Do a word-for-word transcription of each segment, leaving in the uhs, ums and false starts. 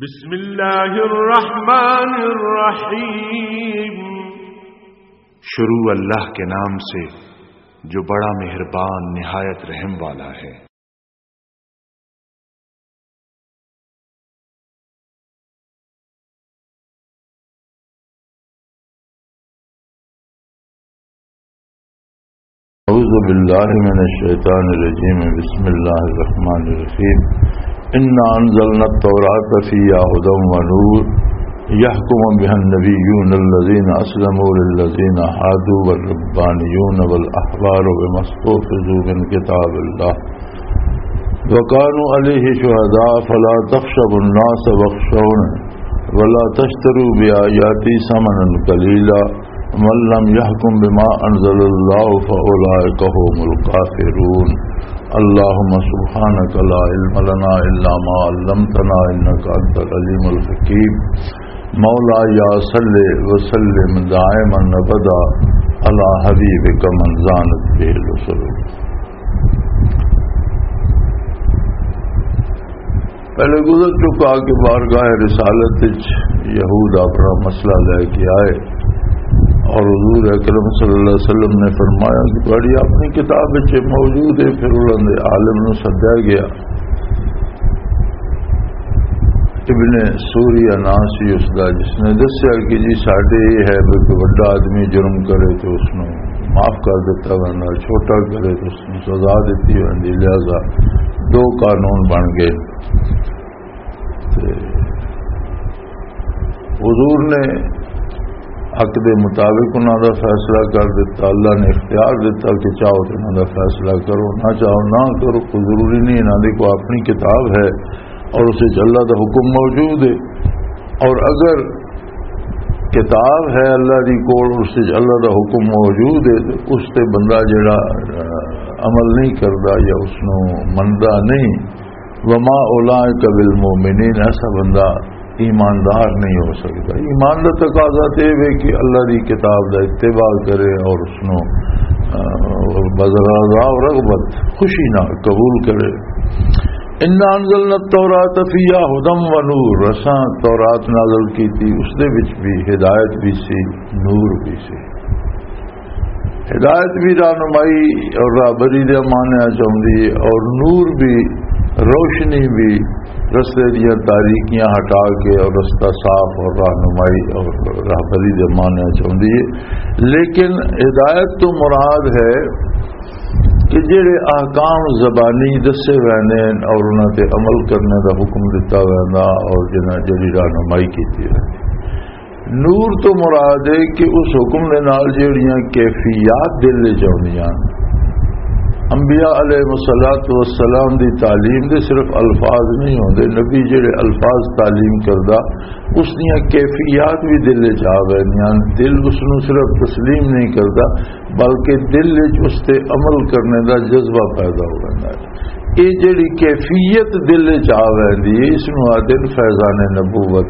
بسم اللہ الرحمن الرحیم۔ شروع اللہ کے نام سے، جو بڑا مہربان، نہایت رحم والا ہے۔ اعوذ باللہ من الشیطان الرجیم، بسم اللہ الرحمن الرحیم۔ انا انزلنا التوراة فیہا ہدی و نور، یحکم بہا النبیون الذین اسلموا للذین ہادوا والربانیون والاحبار بما استحفظوا من کتاب اللہ وکانوا علیہ شہداء فلا تخشوا الناس واخشونی ولا تشتروا بآیاتی ثمنا قلیلا ومن لم يحكم بما أنزل الله فأولئك هم الكافرون۔ اللهم سبحانك لا علم لنا إلا ما علمتنا إنك أنت العليم الحكيم۔ مولاي صل وسلم دائما أبدا على حبيبك من زانت به الأسر۔ پہلے گزر چکا کہ بارگاہ رسالت وچ یہود اپنا مسئلہ لے کے آئے اور حضور اکرم صلی اللہ علیہ وسلم نے فرمایا کہ تہاڈی اپنی کتاب وچ موجود ہے۔ پھر انہاں دے عالم نوں سدیا گیا، ابن سوریا ناں سی اس دا، جس نے دسیا کہ جی ساڈے یہ ہے بھی کوئی وڈا آدمی جرم کرے تو اس نوں معاف کر دتا ویندا، چھوٹا کرے تو اس نوں سزا دتی ویندی، لہذا دو قانون بن گئے۔ تے حضور نے حق دے مطابق انہاں دا فیصلہ کر دتا، اللہ نے اختیار دتا کہ چاہو تو انہاں دا فیصلہ کرو، نہ چاہو نہ کرو، کوئی ضروری نہیں، انہاں دی کوئی اپنی کتاب ہے اور اس وچ اللہ دا حکم موجود ہے۔ اور اگر کتاب ہے اللہ دی کول، اس وچ اللہ دا حکم موجود ہے، تے اس تے بندہ جڑا، آ، عمل نہیں کردا یا اس نوں مندا نہیں، وما اولئک بالمؤمنین، ایسا بندہ ایماندار نہیں ہو سکتا۔ ایمان دا تقاضا تے یہ ہے کہ اللہ دی کتاب دا اتباع کرے اور اس نوں، آ، بذرا رضا و رغبت، خوشی نال قبول کرے۔ انا انزلنا التوراة فیہا ہدی و نور، اساں تورات نازل کیتی، اس دے وچ بھی ہدایت بھی سی، نور بھی سی۔ ہدایت بھی رہنمائی اور راہبری دے معنی چ ہوندی ہے، اور نور بھی، روشنی بھی، رستے دیاں تاریکیاں ہٹا کے اور رستہ صاف اور رہنمائی اور راہبری دے معنی چ ہوندی ہے۔ لیکن ہدایت تو مراد ہے کہ جڑے احکام زبانی دسے ہوئے نے اور انہاں تے عمل کرنے دا حکم دتا ہویا نا اور جنہاں جڑی رہنمائی کیتی ہوئی۔ نور تو مراد ہے کہ اس حکم دے نال جڑیاں کیفیات دل وچ آؤندیاں۔ انبیاء علیہ الصلوۃ والسلام دی تعلیم دے صرف الفاظ نہیں ہوندے، نبی جڑے الفاظ تعلیم کردا، اس دیاں کیفیات بھی دل وچ آ ویندیاں۔ دل اس نوں صرف تسلیم نہیں کردا، بلکہ دل وچ اس تے عمل کرنے دا جذبہ پیدا ہو ویندا ہے۔ یہ جڑی کیفیت دل وچ آ ویندی ہے، اس نوں آدھے فیضان نبوت۔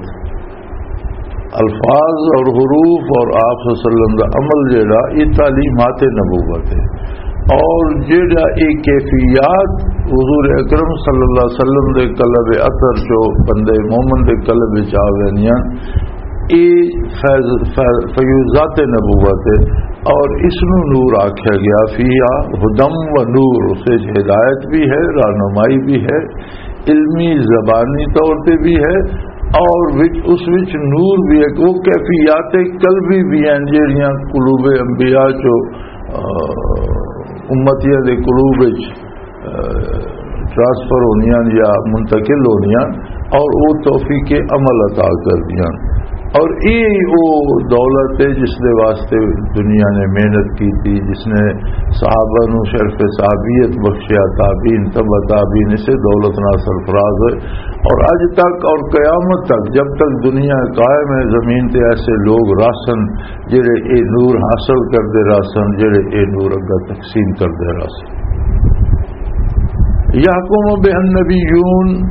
الفاظ اور حروف اور آپ صلی اللہ علیہ وسلم دا عمل جڑا، یہ تعلیمات نبوت ہے۔ اور جڑا یہ کیفیات حضور اکرم صلی اللہ علیہ وسلم دے قلب اطہر چو بندے مومن دے قلب وچ آ ویندیاں، اے فیض، فیض، فیوضات نبوت ہے۔ اور اس نو نور آکھیا گیا، فیہا ہدی و نور، اس وچ ہدایت بھی ہے، رہنمائی بھی ہے، علمی زبانی طور تے بھی ہے، اور وچ، اس وچ نور بھی ہے۔ وہ کیفیات قلبی بھی ہیں جڑیاں قلوب انبیاء چو، آ، امتیاں دے قلوب وچ، آ، ٹرانسفر ہونیاں یا منتقل ہونیاں، اور وہ توفیق عمل عطا کر دیاں۔ اور یہ وہ دولت ہے جس دے واسطے دنیا نے محنت کی تھی، جس نے صحابہ نو شرف صحابیت بخشیا، تابعین، تبع تابعین اسے دولت نال سرفراز ہوئے۔ اور اج تک اور قیامت تک، جب تک دنیا قائم ہے، زمین تے ایسے لوگ رہسن جڑے اے نور حاصل کردے رہسن، جڑے اے نور اگا تقسیم کردے رہسن۔ یحکم بہ النبیون،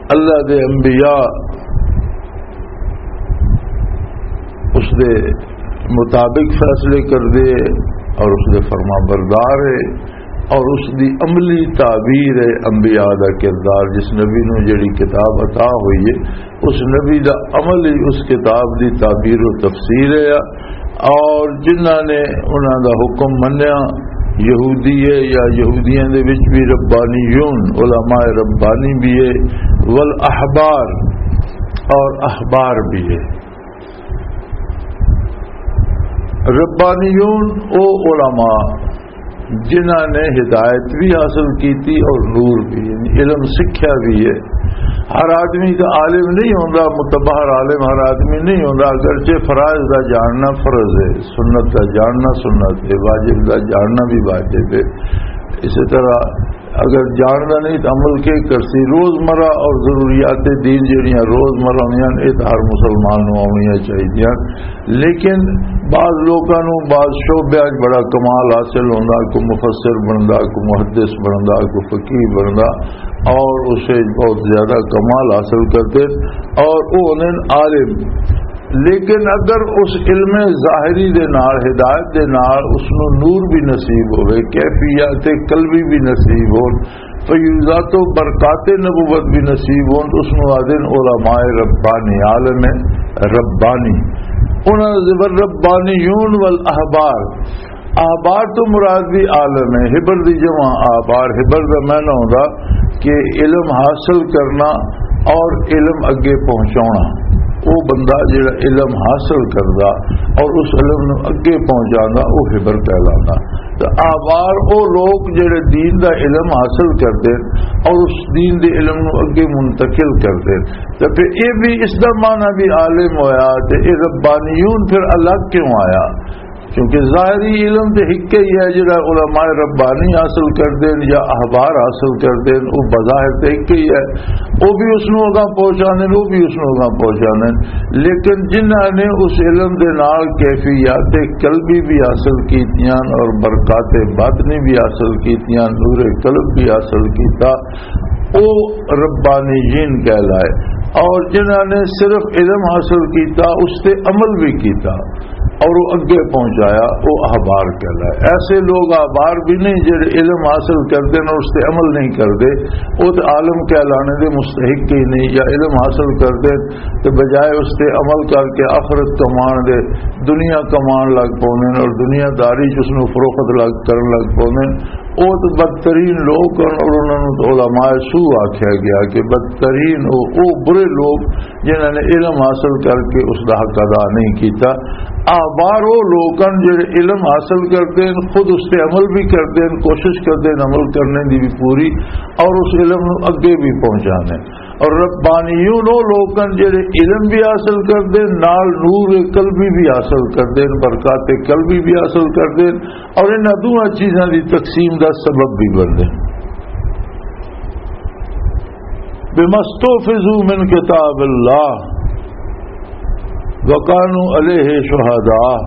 اللہ دے انبیاء اس دے مطابق فیصلے کردے اور اس دے فرما بردار ہے۔ اور اس دی عملی تعبیر ہے انبیاء دا کردار۔ جس نبی نو جڑی کتاب عطا ہوئی ہے، اس نبی دا عمل ہی اس کتاب دی تعبیر و تفسیر ہے۔ اور جنہاں نے انہاں دا حکم منیا، یہودی ہے یا یہودیاں دے وچ بھی ربانیون، علماء ربانی بھی ہے، والاحبار، اور احبار بھی ہے۔ ربانیون او علماء جنہاں نے ہدایت بھی حاصل کیتی اور نور بھی، یعنی علم سکھیا بھی ہے۔ ہر آدمی کا عالم نہیں ہوندا، متبہر عالم ہر آدمی نہیں ہوندا، اگرچہ فرائض دا جاننا فرض ہے، سنت دا جاننا سنت ہے، واجب دا جاننا بھی واجب ہے۔ اسی طرح اگر جاننا نہیں تو عمل کے کرسی؟ روزمرہ اور ضروریات دین جڑیاں روزمرہ ہوندیاں، یہ تو ہر مسلمان نوں آونیاں چاہیدیاں۔ لیکن بعض لوکاں نوں بعض شعبیاں وچ بڑا کمال حاصل ہوندا، کوئی مفسر بندا، کوئی محدث بندا، کوئی فقیہ بندا، اور اسے بہت زیادہ کمال حاصل کرتے اور وہ ہوندے نے عالم۔ لیکن اگر اس علم ظاہری دے نال، ہدایت دے نال اس نوں نور بھی نصیب ہوئے، کیفیات قلبی بھی نصیب ہون، فیوزات و برکات نبوت بھی نصیب ہون، تو اس نوں آدن علماء ربانی، عالم ربانی۔ انہاں دے زبر ربانیون والاحبار۔ احبار تو مراد بھی عالم ہے، حبر دی جمع احبار۔ حبر دا معنی ہوندا کہ علم حاصل کرنا اور علم اگے پہنچانا۔ وہ بندہ جڑا علم حاصل کردا اور اس علم نو اگے پہنچاندا، وہ حبر کہلاندا۔ تو احبار وہ لوگ جڑے دین دا علم حاصل کردے اور اس دین دے علم نو اگے منتقل کردے۔ تو پھر یہ بھی اس دا معنی بھی عالم ہویا، تے یہ ربانیون پھر الگ کیوں آیا؟ کیونکہ ظاہری علم تے ہک ہی ہے جڑا علماء ربانی حاصل کردے نے یا احبار حاصل کردے نے، وہ بظاہر تے ہک ہی ہے۔ وہ بھی اس نوں اگاں پہنچاندے نے، وہ بھی اس نوں اگاں پہنچاندے نے۔ لیکن جنہاں نے اس علم دے نال کیفیات قلبی بھی حاصل کیتیاں اور برکات باطنی بھی حاصل کیتیاں، نور قلب بھی حاصل کیتا، او ربانیین کہلائے۔ اور جنہاں نے صرف علم حاصل کیتا، اس تے عمل بھی کیتا اور وہ اگے پہنچایا، وہ احبار کہلائے۔ ایسے لوگ احبار بھی نہیں جڑے علم حاصل کردے نے، اس تے عمل نہیں کردے، وہ تے عالم کہلانے دے مستحق ہی نہیں۔ یا علم حاصل کردے تے بجائے اس تے عمل کر کے آخرت کمان دے، دنیا کمان لگ پوندے نے اور دنیا داری چ اس نوں فروخت لگ، کرن لگ پوندے نے۔ او تے بدترین لوگ ہن اور انہاں نوں تے علماء سوء آکھیا گیا کہ بدترین او، او برے لوگ جنہاں نے علم حاصل کر کے اس دا حق ادا نہیں کیتا۔ احبار او لوگ ہن جڑے علم حاصل کردے ہن، خود اس تے عمل بھی کردے ہن، کوشش کردے ہن عمل کرنے دی بھی پوری، اور اس علم نوں اگے بھی پہنچانے۔ اور ربانیون او لوگ ہن جڑے علم بھی حاصل کردے ہن، نال نور قلبی بھی حاصل کردے ہن، برکات قلبی بھی حاصل کردے ہن، اور انہاں دوواں چیزاں دی تقسیم دا سبب بھی بندے۔ بما استحفظوا من کتاب اللہ وکانوا علیہ شہداء۔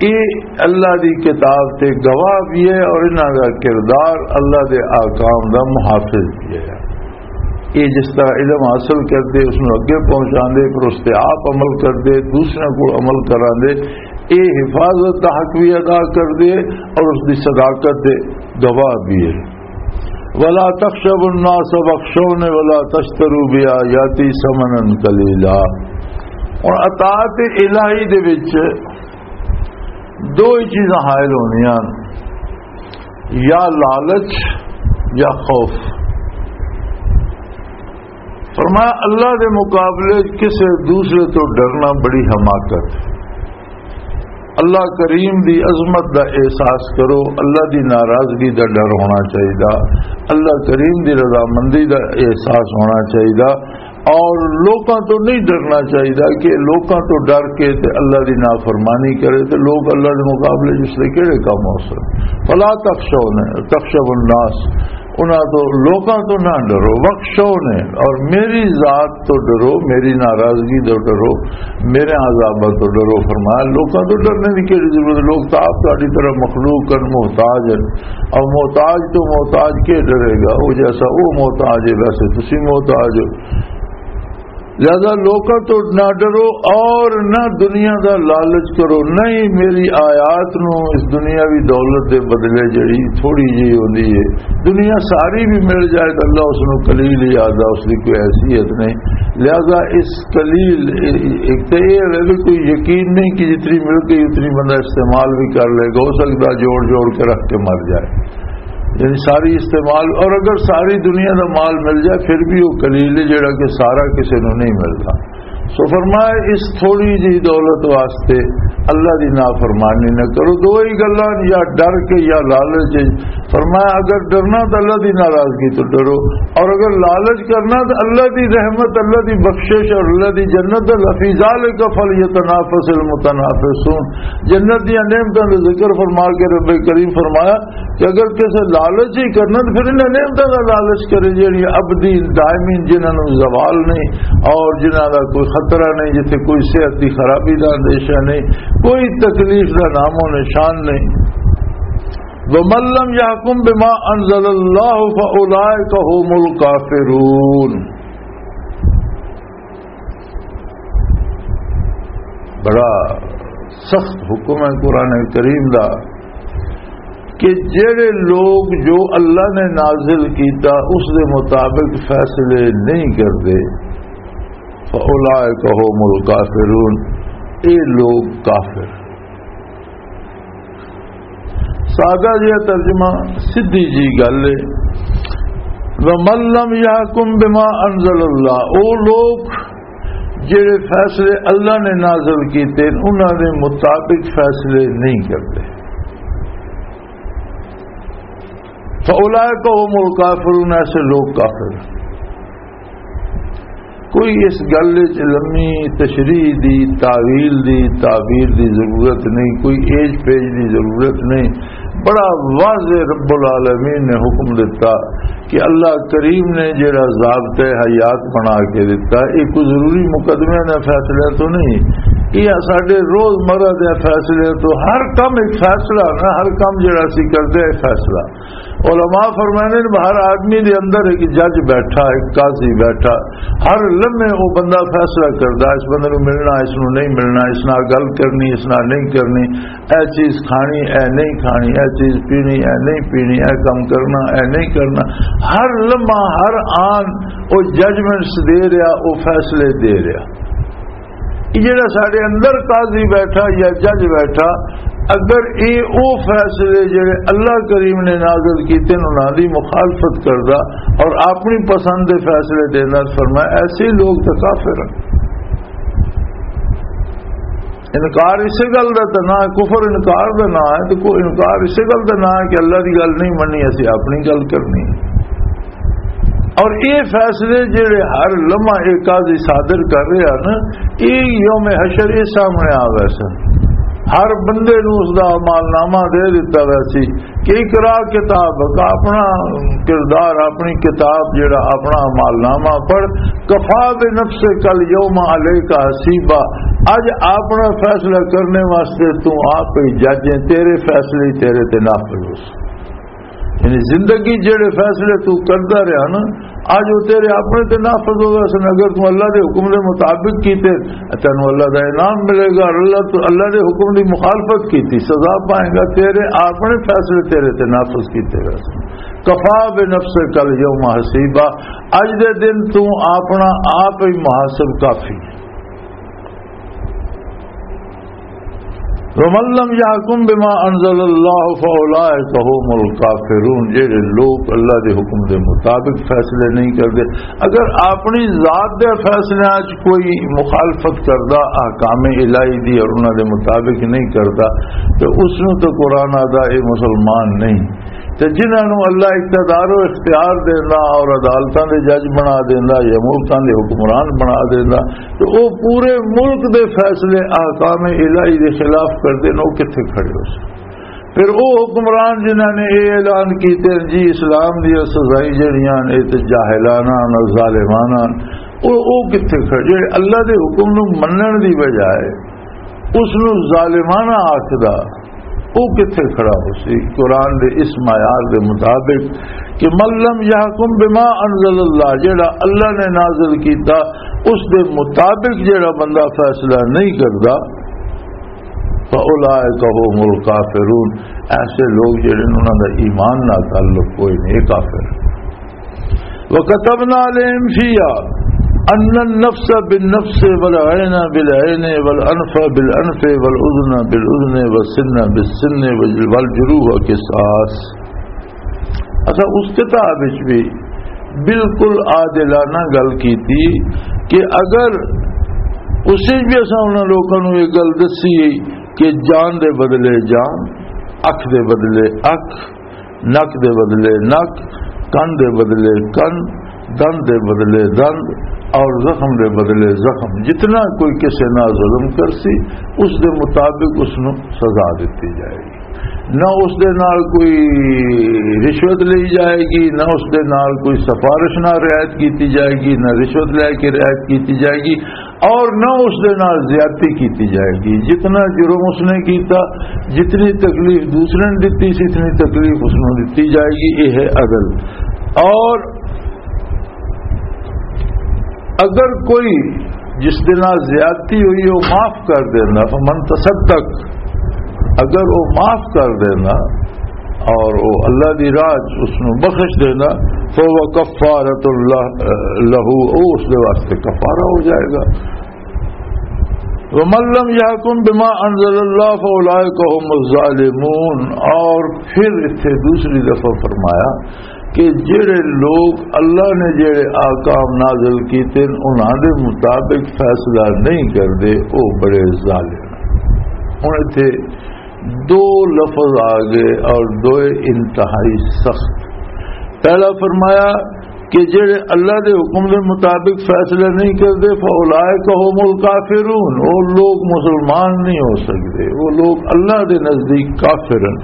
یہ اللہ دی کتاب تے گواہ بھی ہے اور انہاں دا کردار اللہ دے احکام دا محافظ بھی ہے۔ یہ جس طرح علم حاصل کردے، اس نوں اگے پہنچاندے، پر اس تے آپ عمل کردے، دوسرے کو عمل کراندے، یہ حفاظت دا حق بھی ادا کردے اور اس دی صداقت دے گواہ بھی ہے۔ ولا تخشوا الناس واخشونی ولا تشتروا بآیاتی ثمنا قلیلا۔ اور اطاعت الہی دے وچ دو ہی چیزاں حائل ہونیاں، یا لالچ یا خوف۔ فرمایا، اللہ دے مقابلے کسے دوسرے تو ڈرنا بڑی حماقت۔ اللہ کریم دی عظمت دا احساس کرو، اللہ دی ناراضگی دا ڈر ہونا چاہیدا، اللہ کریم دی رضامندی دا احساس ہونا چاہیدا، اور لوکاں تو نہیں ڈرنا چاہیدا کہ لوکاں تو ڈر کے تے اللہ دی نافرمانی کرے تے لوگ اللہ دے مقابلے جس لے کہڑے کام ہو سکتے۔ فلا تخشون، تخشوا الناس، انہاں تو، لوکاں تو نہ ڈرو، واخشونی، اور میری ذات تو ڈرو، میری ناراضگی تو ڈرو، میرے عذاباں تو ڈرو۔ فرمایا، لوکاں تو ڈرنے دی کیڑی ضرورت ہے؟ لوگ تو آپ تہاڈی طرح مخلوق ہن، محتاج ہن، اور محتاج تو محتاج کے ڈرے گا؟ وہ جیسا وہ محتاج ہے، ویسے تسی محتاج ہو۔ لہذا لوکاں تو نہ ڈرو اور نہ دنیا دا لالچ کرو، نہ ہی میری آیات نو اس دنیاوی دولت دے بدلے جڑی تھوڑی جی ہوندی ہے، دنیا ساری بھی مل جائے تو اللہ اس نو قلیل ہی آدھا، اس دی کوئی حیثیت نہیں۔ لہذا اس قلیل، ایک تو یہ ہے کہ کوئی یقین نہیں کہ جتنی مل گئی اتنی بندہ استعمال بھی کر لے گا، ہو سکتا جوڑ جوڑ کے رکھ کے مر جائے، یعنی ساری استعمال، اور اگر ساری دنیا دا مال مل جائے پھر بھی وہ قلیل ہے جڑا کہ سارا کسے نو نہیں ملتا۔ سو فرمایا، اس تھوڑی جی دولت واسطے اللہ دی نافرمانی نہ کرو۔ دو ہی گلاں، یا ڈر کے یا لالچ۔ فرمایا، اگر ڈرنا تو اللہ دی ناراضگی تو ڈرو، اور اگر لالچ کرنا تو اللہ دی رحمت، اللہ دی بخشش اور اللہ دی جنت، لفی ذالک فلیتنافس المتنافسون۔ جنت دیاں نعمتاں دا ذکر فرما کے رب کریم فرمایا، کہ اگر کسے لالچ ہی کرنا تو پھر انہاں نعمتاں دا لالچ کرے جڑی ابدی دائمی، جنہاں نوں زوال نہیں اور جنہاں دا کوئی خطرہ نہیں، جتھے کوئی صحت دی خرابی دا اندیشہ نہیں، کوئی تکلیف دا نام و نشان نہیں۔ وَمَن لَّمْ يَحْكُم بِمَا أَنزَلَ اللَّهُ فَأُولَٰئِكَ هُمُ الْكَافِرُونَ۔ بڑا سخت حکم ہے قرآن کریم دا کہ جڑے لوگ جو اللہ نے نازل کیتا اس دے مطابق فیصلے نہیں کردے، فَأُولَٰئِكَ هُمُ الْكَافِرُونَ، اے لوگ کافر۔ سادہ جہا ترجمہ، سدھی جی گل ہے، وَمَن لَّمْ يَحْكُم بِمَا أَنزَلَ اللَّهُ، او لوگ جڑے فیصلے اللہ نے نازل کیتے، انہاں دے مطابق فیصلے نہیں کرتے، فَأُولَٰئِكَ هُمُ الْكَافِرُونَ، ایسے لوگ کافر ہیں۔ کوئی اس گل وچ لمبی تشریح دی، تاویل دی، تعبیر دی ضرورت نہیں، کوئی ایج پیج دی ضرورت نہیں۔ بڑا واضح رب العالمین نے حکم دیتا کہ اللہ کریم نے جڑا ضابطہ حیات بنا کے دیتا، یہ کوئی ضروری مقدمے دا فیصلہ تو نہیں، یہ ساڈے روزمرہ دے فیصلے تو، ہر کم ایک فیصلہ نا، ہر کم جڑا سی کردے ہیں فیصلہ۔ علماء فرمانے نے، ہر آدمی دے اندر ایک جج بیٹھا، ایک قاضی بیٹھا، ہر لمحے وہ بندہ فیصلہ کردا، اس بندے نوں ملنا، اس نوں نہیں ملنا، اس نال گل کرنی، اس نال نہیں کرنی، اے چیز کھانی، اے نہیں کھانی، اے چیز پینی، اے نہیں پینی، اے کم کرنا، اے نہیں کرنا۔ ہر لمحہ، ہر آن وہ ججمنٹس دے رہا، وہ فیصلے دے رہا۔ یہ جڑا ساڈے اندر قاضی بیٹھا یا جج بیٹھا، اگر اے او فیصلے جڑے اللہ کریم نے نازل کیتے نے، انہاں دی مخالفت کردا اور اپنی پسند دے فیصلے دیندا، فرمایا، ایسے لوگ تو کافر ہیں۔ انکار اسے گل دا تے نہ ہے، کفر انکار دا نہ ہے، تے کوئی انکار اسے گل دا نہ ہے کہ اللہ دی گل نہیں مننی، اسی اپنی گل کرنی ہے۔ اور یہ فیصلے جڑے ہر لمحہ ایک قاضی صادر کر رہا نا، یہ یوم حشر یہ سامنے آ گئے سن۔ ہر بندے نوں اس دا اعمال نامہ دے دتا گیا سی کہ اقرا کتاب، اپنا کردار، اپنی کتاب، جڑا اپنا اعمال نامہ پڑھ، کفا بنفسک الیوم علیک حسیبا، اج اپنا فیصلہ کرنے واسطے تو آپ ہی جج ہیں، تیرے فیصلے ہی تیرے تے نافذ ہو سن۔ یعنی زندگی جڑے فیصلے تو کردا رہیا نا، اج وہ تیرے اپنے تے نافذ ہو گئے سن۔ اگر تو اللہ دے حکم دے مطابق کیتے، تینوں اللہ دا انعام ملے گا، اور اللہ تو، اللہ دے حکم دی مخالفت کیتی، سزا پائے گا۔ تیرے اپنے فیصلے تیرے تے نافذ کیتے گئے سن۔ کفا بنفسک الیوم حسیبا، اج دے دن تو اپنا آپ ہی محاسب کافی ہے۔ وَمَن لَّمْ يَحْكُم بِمَا أَنزَلَ اللَّهُ فَأُولَٰئِكَ هُمُ الْكَافِرُونَ، جڑے لوگ اللہ دے حکم دے مطابق فیصلے نہیں کردے، اگر اپنی ذات دے فیصلے وچ کوئی مخالفت کردا احکام الہی دی اور انہاں دے مطابق نہیں کردا، تو اس نوں تو قرآن آدا اے مسلمان نہیں۔ تے جنہاں نوں اللہ اقتدار و اختیار دیندا اور عدالتاں دے جج بنا دیندا یا ملکاں دے حکمران بنا دیندا، تے او پورے ملک دے فیصلے احکام الہی دے خلاف کردے نے، او کتھے کھڑے ہو سن؟ پھر او حکمران جنہاں نے اے اعلان کیتے ہیں جی اسلام دی سزائیں جڑیاں نے تے جاہلانہ نے، ظالمانہ نے، او، او کتھے کھڑے؟ جڑے اللہ دے حکم نوں منن دی بجائے اس نوں ظالمانہ آکھدا، او کتھے کھڑا ہو سی؟ قرآن دے اس معیار دے مطابق کہ من لم یحکم بما انزل اللہ، جڑا اللہ نے نازل کیتا، اس دے مطابق جڑا بندہ فیصلہ نہیں کردا، فَأُولَٰئِكَ هُمُ الْكَافِرُونَ، ایسے لوگ جڑے نے، انہاں دا ایمان نال تعلق کوئی نہیں، یہ کافر۔ وَكَتَبْنَا عَلَيْهِمْ فِيهَا أَنَّ النَّفْسَ بِالنَّفْسِ وَالْعَيْنَ بِالْعَيْنِ وَالْأَنْفَ بِالْأَنْفِ وَالْأُذُنَ بِالْأُذُنِ وَالسِّنَّ بِالسِّنِّ وَالْجُرُوحَ قِصَاصٌ۔ اساں اس کتاب وچ بھی بالکل عادلانہ گل کیتی کہ اگر اس وچ بھی اساں انہاں لوکاں نوں یہ گل دسی کہ جان دے بدلے جان، اکھ دے بدلے اکھ، نک دے بدلے نک، کن دے بدلے کن، دند دے بدلے دند، اور زخم دے بدلے زخم، جتنا کوئی کسے نال ظلم کرسی، اس دے مطابق اس نوں سزا دتی جائے گی۔ نہ اس دے نال کوئی رشوت لئی جائے گی، نہ اس دے نال کوئی سفارش نال رعایت کیتی جائے گی، نہ رشوت لے کے رعایت کیتی جائے گی، اور نہ اس دے نال زیادتی کیتی جائے گی۔ جتنا جرم اس نے کیتا، جتنی تکلیف دوسرے نے دتی سی، اتنی تکلیف اس نوں دتی جائے گی۔ یہ ہے عدل۔ اور اگر کوئی جس دے نال زیادتی ہوئی، وہ معاف کر دینا، فمن تصدق، اگر وہ معاف کر دینا اور وہ اللہ دی راہ چ اس نوں بخش دینا، فهو كفارة لہ، لہو، وہ اس دے واسطے کفارہ ہو جائے گا۔ وَمَن لَّمْ يَحْكُم بِمَا أَنزَلَ اللَّهُ فَأُولَٰئِكَ هُمُ الظَّالِمُونَ۔ اور پھر اتھے دوسری دفعہ فرمایا کہ جڑے لوگ اللہ نے جڑے احکام نازل کیتے ہیں، انہاں دے مطابق فیصلہ نہیں کردے، وہ بڑے ظالم ہیں۔ ہن اتھے دو لفظ آ گئے اور دوئے انتہائی سخت۔ پہلا فرمایا کہ جڑے اللہ دے حکم دے مطابق فیصلہ نہیں کردے، فَأُولَٰئِكَ هُمُ الْكَافِرُونَ، وہ لوگ مسلمان نہیں ہو سکتے، وہ لوگ اللہ دے نزدیک کافر ہیں۔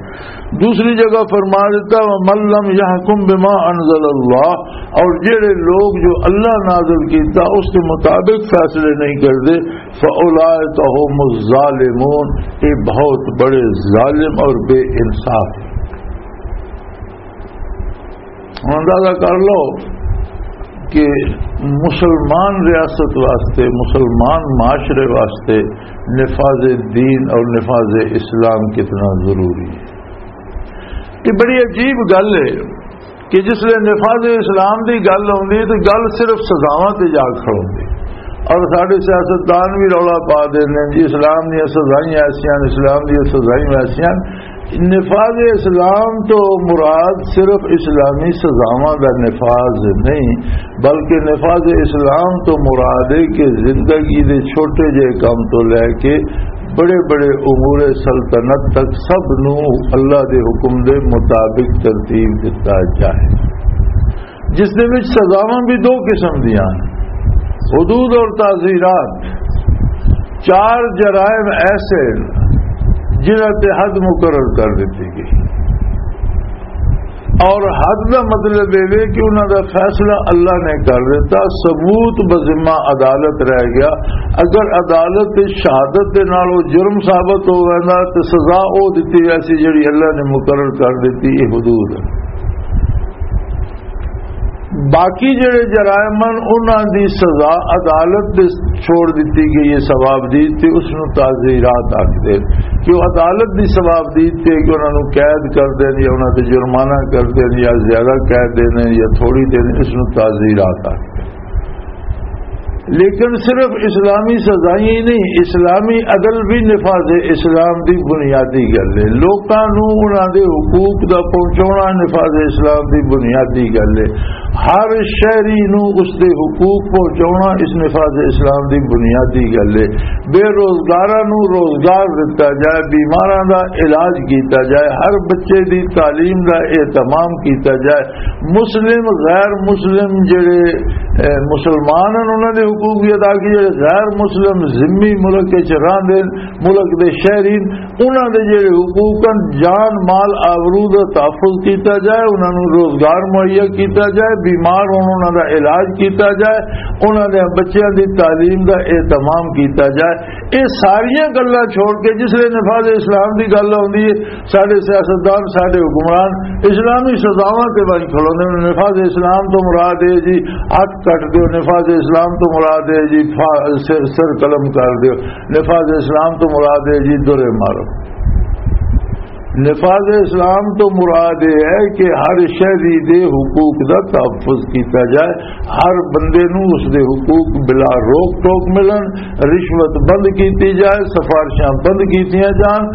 دوسری جگہ فرما دیتا، وَمَن لَّمْ يَحْكُم بِمَا أَنزَلَ اللَّهُ، اور جڑے لوگ جو اللہ نازل کیتا اس کے مطابق فیصلے نہیں کردے، فَأُولَٰئِكَ هُمُ الظَّالِمُونَ، یہ بہت بڑے ظالم اور بے انصاف ہیں۔ ہن اندازہ کر لو کہ مسلمان ریاست واسطے، مسلمان معاشرے واسطے نفاذ دین اور نفاذ اسلام کتنا ضروری ہے۔ یہ بڑی عجیب گل ہے کہ جس لے نفاذ اسلام دی گل آندی ہے تو گل صرف سزاواں تے جا کھڑوندی ہے۔ اور ساڈے سیاستدان بھی رولا پا دے نے جی، اسلام دیاں سزائیاں ایسیاں، اسلام دیاں سزائیاں ایسیاں۔ نفاذ اسلام تو مراد صرف اسلامی سزاواں دا نفاذ نہیں، بلکہ نفاذ اسلام تو مراد ہے کہ زندگی دے چھوٹے جے کام تو لے کے بڑے بڑے امور سلطنت تک سب نو اللہ دے حکم دے مطابق ترتیب دتا جائے، جس دے وچ سزاواں بھی دو قسم دیاں ہیں، حدود اور تعزیرات۔ چار جرائم ایسے ہیں جنہاں تے حد مقرر کر دیتی گئی، اور حد دا مطلب یہ ہے کہ انہاں دا فیصلہ اللہ نے کر دیتا، ثبوت بذمہ عدالت رہ گیا۔ اگر عدالت دی شہادت دے نال وہ جرم ثابت ہو ویندا تے سزا او دتی ویسی جڑی اللہ نے مقرر کر دیتی، یہ حدود ہے۔ باقی جڑے جرائم ہن، انہاں دی سزا عدالت دے چھوڑ دتی گئی ہے، ثواب دی، تے اس نوں تعزیرات آکھدے کہ وہ عدالت دی ثواب دی تے کہ انہاں نوں قید کر دین یا انہاں تے جرمانہ کر دین یا زیادہ قید دین یا تھوڑی دین، اس نوں تعزیرات آکھدے۔ لیکن صرف اسلامی سزائیں ہی نہیں، اسلامی عدل بھی نفاذ اسلام دی بنیادی گل ہے۔ لوکاں نوں انہاں دے حقوق دا پہنچاؤنا نفاذ اسلام دی بنیادی گل ہے۔ ہر شہری نوں اس دے حقوق پہنچاؤنا اس نفاذ اسلام دی بنیادی گل ہے۔ بے روزگاراں نوں روزگار دتا جائے، بیماراں دا علاج کیتا جائے، ہر بچے دی تعلیم دا اہتمام کیتا جائے، مسلم، غیر مسلم جڑے، اے، مسلمان ہیں، انہاں دے حقوق بھی ادا کیتے جائے، غیر مسلم ذمی ملک وچ رہندے، ملک دے شہری، انہاں دے جڑے حقوق ہیں، جان، مال، آبرو دا تحفظ کیتا جائے، انہاں نوں روزگار مہیا کیتا جائے، بیمار ہون، انہاں دا علاج کیتا جائے، انہاں دے بچیاں دی تعلیم دا اہتمام کیتا جائے۔ یہ ساریاں گلاں چھوڑ کے جس لے نفاذ اسلام دی گل آندی ہے، ساڈے سیاستدان، ساڈے حکمران اسلامی سزاواں تے بن کھلوندے نے۔ نفاذ اسلام تو مراد ہے جی، ہتھ کٹ دیو۔ نفاذ اسلام تو مراد ہے جی فا-، سر، سر قلم کر دیو۔ نفاذ اسلام تو مراد ہے جی درے مارو۔ نفاذ اسلام تو مراد یہ ہے کہ ہر شہری دے حقوق دا تحفظ کیتا جائے، ہر بندے نوں اس دے حقوق بلا روک ٹوک ملن، رشوت بند کیتی جائے، سفارشاں بند کیتیاں جان،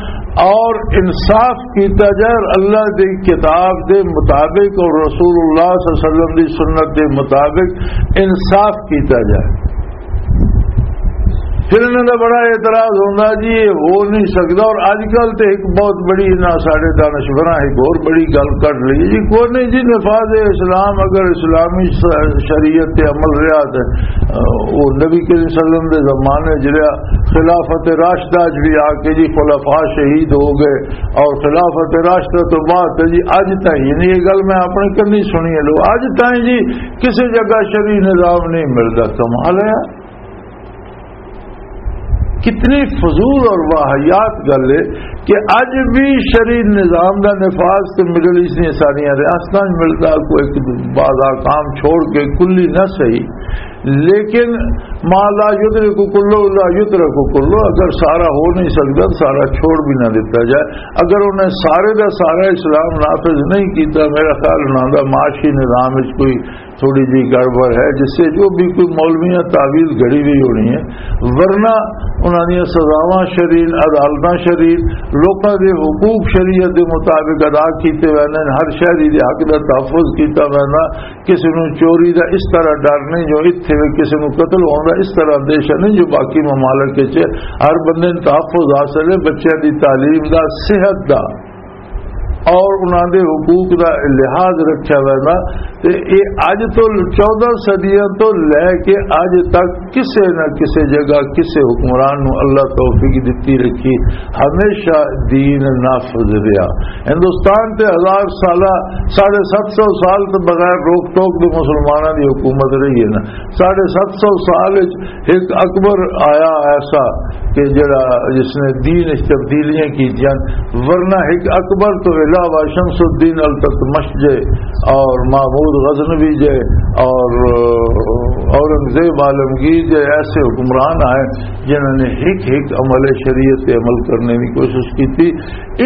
اور انصاف کیتا جائے، اور اللہ دی کتاب دے مطابق اور رسول اللہ صلی اللہ علیہ وسلم دی سنت دے مطابق انصاف کیتا جائے۔ پھر انہاں دا بڑا اعتراض ہوندا جی، یہ ہو نہیں سکدا۔ اور اج کل تے ایک بہت بڑی، انہاں ساڈے دانشوراں ایک اور بڑی گل کر لی جی، کوئی نہیں جی، نفاذ اسلام اگر اسلامی س-، شریعت تے عمل رہا تے، آ، وہ نبی کریم صلی اللہ علیہ وسلم دے زمانے جڑا خلافت راشدہ چ بھی آ کے جی خلفاء شہید ہو گئے، اور خلافت راشدہ تو بعد تے جی اج تائیں، یعنی یہ گل میں اپنے کنی سنی ہے لو، اج تائیں جی کسی جگہ شرعی نظام نہیں ملدا۔ کمال ہے یار۔ کتنی فضول اور واہیات گل ہے کہ اج بھی شرعی نظام دا نفاذ تے مڈل ایسٹ دیاں ساریاں ریاستاں وچ ملدا، کوئی ایک بعض احکام چھوڑ کے کلی نہ صحیح، لیکن ما لا یدرک کلو لا یترک کلو، اگر سارا ہو نہیں سکدا تو سارا چھوڑ بھی نہ دیتا جائے۔ اگر انہیں سارے دا سارا اسلام نافذ نہیں کیتا، میرا خیال انہاں دا معاشی نظام وچ کوئی تھوڑی جی گڑبڑ ہے، جس سے جو بھی کوئی مولویاں تعویل گھڑی ہوئی ہونی ہے، ورنہ انہاں دیاں سزاواں شرعی، عدالتاں شرعی، لوکاں دے حقوق شریعت دے مطابق ادا کیتے ویندے نے، ہر شہری دے حق دا تحفظ کیتا ویندا، کسی نوں چوری دا اس طرح ڈر نہیں جو اتھے وی کسی نوں قتل ہون دا اس طرح اندیشہ نہیں جو باقی ممالک وچ ہے۔ ہر بندے نوں تحفظ حاصل ہے، بچیاں دی تعلیم دا، صحت دا، اور انہاں دے حقوق دا لحاظ رکھیا ویندا۔ تے اے اج تو چودہ صدیاں تو لے کے اج تک کسے نہ کسے جگہ کسے حکمران نو اللہ توفیق دتی رکھی، ہمیشہ دین نافذ رہیا۔ ہندوستان تے ہزار سالہ، ساڑھے ست سو سال تو بغیر روک ٹوک دے مسلماناں دی حکومت رہی ہے نا۔ ساڑھے ست سو سال وچ ایک اکبر آیا ایسا کہ جڑا، جس نے دین وچ تبدیلیاں کیتیاں، ورنہ ایک اکبر تو علاوہ شمس الدین التتمش جے اور محمود غزنوی جے اور اورنگزیب عالمگیر جے ایسے حکمران آئے جنہوں نے ایک ایک عمل شریعت پہ عمل کرنے کی کوشش کی تھی۔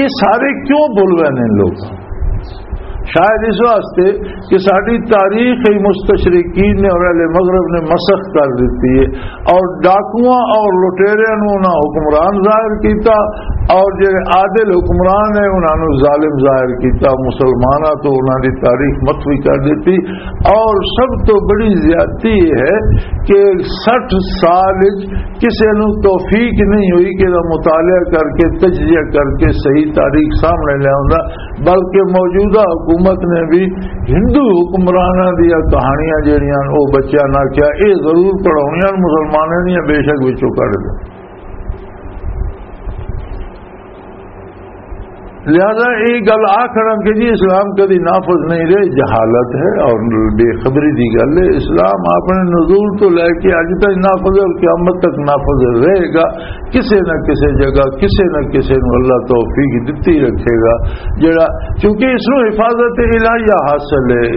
یہ سارے کیوں بھول گئے نے لوگ؟ شاید اس واسطے کہ ساری تاریخ ہی مستشرقین نے اور اہل مغرب نے مسخ کر دیتی ہے، اور ڈاکواں اور لٹیریاں نوں انہاں حکمران ظاہر کیتا، اور جڑے عادل حکمران ہیں انہاں نوں ظالم ظاہر کیتا، مسلماناں تو انہاں دی تاریخ متوی کر دیتی۔ اور سب تو بڑی زیادتی یہ ہے کہ سٹھ سال وچ کسے نوں توفیق نہیں ہوئی کہ دا مطالعہ کر کے، تجزیہ کر کے صحیح تاریخ سامنے لے آؤں، بلکہ موجودہ حکومت نے بھی ہندو حکمراناں دیاں کہانیاں جڑیاں او بچیاں نوں آکھیا، اے ضرور پڑھاؤنیاں مسلماناں دیاں، بے شک وچوں کڈ دے۔ لہذا یہ گل آخنا کہ جی اسلام کدی نافذ نہیں رہے، جہالت ہے اور بے خبری دی گل ہے۔ اسلام اپنے نزول تو لے کے اج تک نافذ ہے اور قیامت تک نافذ رہے گا۔ کسے نہ کسے جگہ، کسے نہ کسے نوں اللہ توفیق دتی رکھے گا، جڑا، کیونکہ اس نوں حفاظت الہیہ حاصل ہے،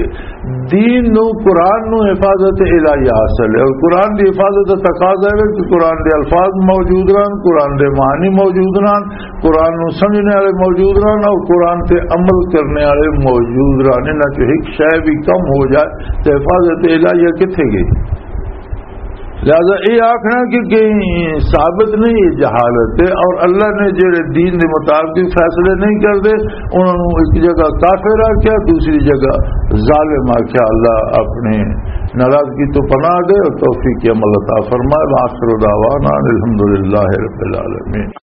دین نوں، قرآن نوں حفاظت الہیہ حاصل ہے، اور قرآن دی حفاظت دا تقاضا ہے کہ قرآن دے الفاظ موجود رہن، قرآن دے معنی موجود رہن، قرآن نوں سمجھنے والے موجود رہن، اور قرآن تے عمل کرنے والے موجود رہن۔ انہاں چوں ایک شے بھی کم ہو جائے تو حفاظت الہیہ کتھے گئی؟ لہذا یہ آخنا کہ کہیں ثابت نہیں، یہ جہالت ہے۔ اور اللہ نے جڑے دین دے مطابق فیصلے نہیں کردے، انہاں نوں ایک جگہ کافر آکھیا، دوسری جگہ ظالم آکھیا۔ اللہ اپنی ناراضگی تو پناہ دے اور توفیق عمل عطا فرمائے۔ وآخر دعوانا ان الحمدللہ رب العالمین۔